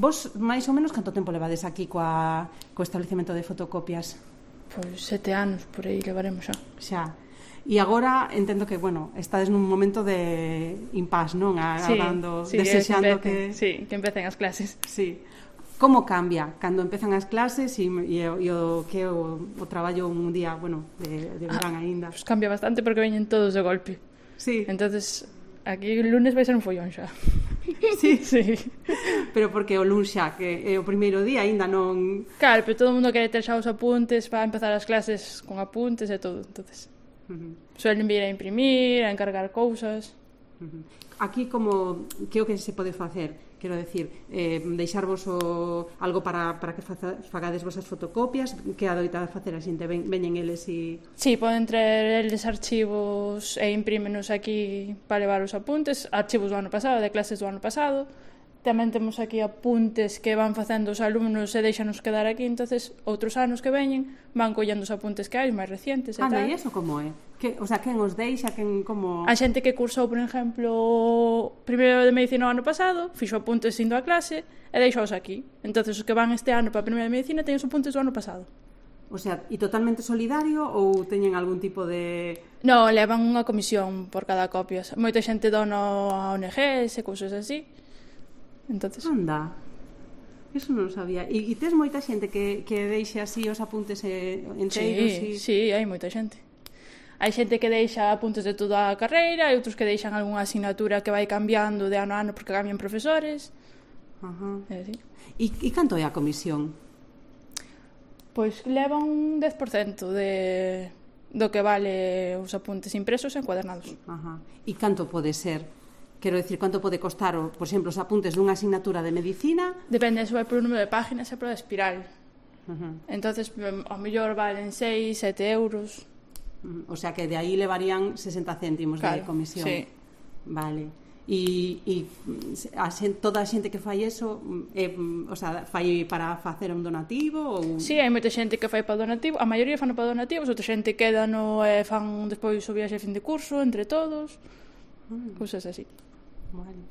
Vos, máis ou menos, canto tempo levades aquí co establecemento de fotocopias? Pois 7 anos, por aí levaremos xa. Xa. E agora entendo que, bueno, estades nun momento de impás, non? Agardando, desexando que... Sí, que empecen as clases. Sí. Como cambia cando empezan as clases e o que é o traballo un día, bueno, de verán aínda? Pues cambia bastante porque veñen todos de golpe. Sí. Entonces, aquí o lunes vai ser un follón xa. Sí. Sí. Pero porque o luns xa, que é o primeiro día, aínda non... Claro, pero todo o mundo quere ter xa os apuntes para empezar as clases con apuntes e todo, entonces... Suelen vir a imprimir, a encargar cousas. Aquí como que o que se pode facer? Quero decir, deixarvos algo para que fagades vosas fotocopias, que adoita facer a xente, veñen eles e... Sí, poden traer eles archivos e imprímenos aquí para levar os apuntes, archivos do ano pasado, de clases do ano pasado. Tamén temos aquí apuntes que van facendo os alumnos e deixanos quedar aquí, entonces outros anos que veñen van collendo os apuntes que hai, máis recientes e tal. E iso como é? O sea, quen os deixa, quen como... A xente que cursou, por exemplo, primeiro de medicina o ano pasado, fixo apuntes indo a clase e deixou-os aquí. Entonces os que van este ano para a primeira de medicina teñen os apuntes do ano pasado. O sea, e totalmente solidario ou teñen algún tipo de... No, levan unha comisión por cada copia. Moita xente dona a ONGs e cousas así. Entonces... Anda, eso non sabía. E tes moita xente que deixe así os apuntes enteiros? Sí, hai moita xente. Hai xente que deixa apuntes de toda a carreira e outros que deixan algunha asignatura que vai cambiando de ano a ano porque cambian profesores. E canto é a comisión? Pois leva un 10% do que vale os apuntes impresos e encuadernados. E canto pode ser? Quero dicir, quanto pode costar, por exemplo, os apuntes dunha asignatura de medicina? Depende, se vai por o número de páginas e por a espiral. Entonces, ao mellor valen 6, 7 euros. O sea, que de aí levarían 60 céntimos de comisión. Sí. Vale. E toda a xente que fai eso, o sea, fai para facer un donativo? Ou... Sí, hai moita xente que fai para donativo, a maioría fan para donativos, outra xente queda e fan despois o viaxe a fin de curso, entre todos, cousas así. Vale.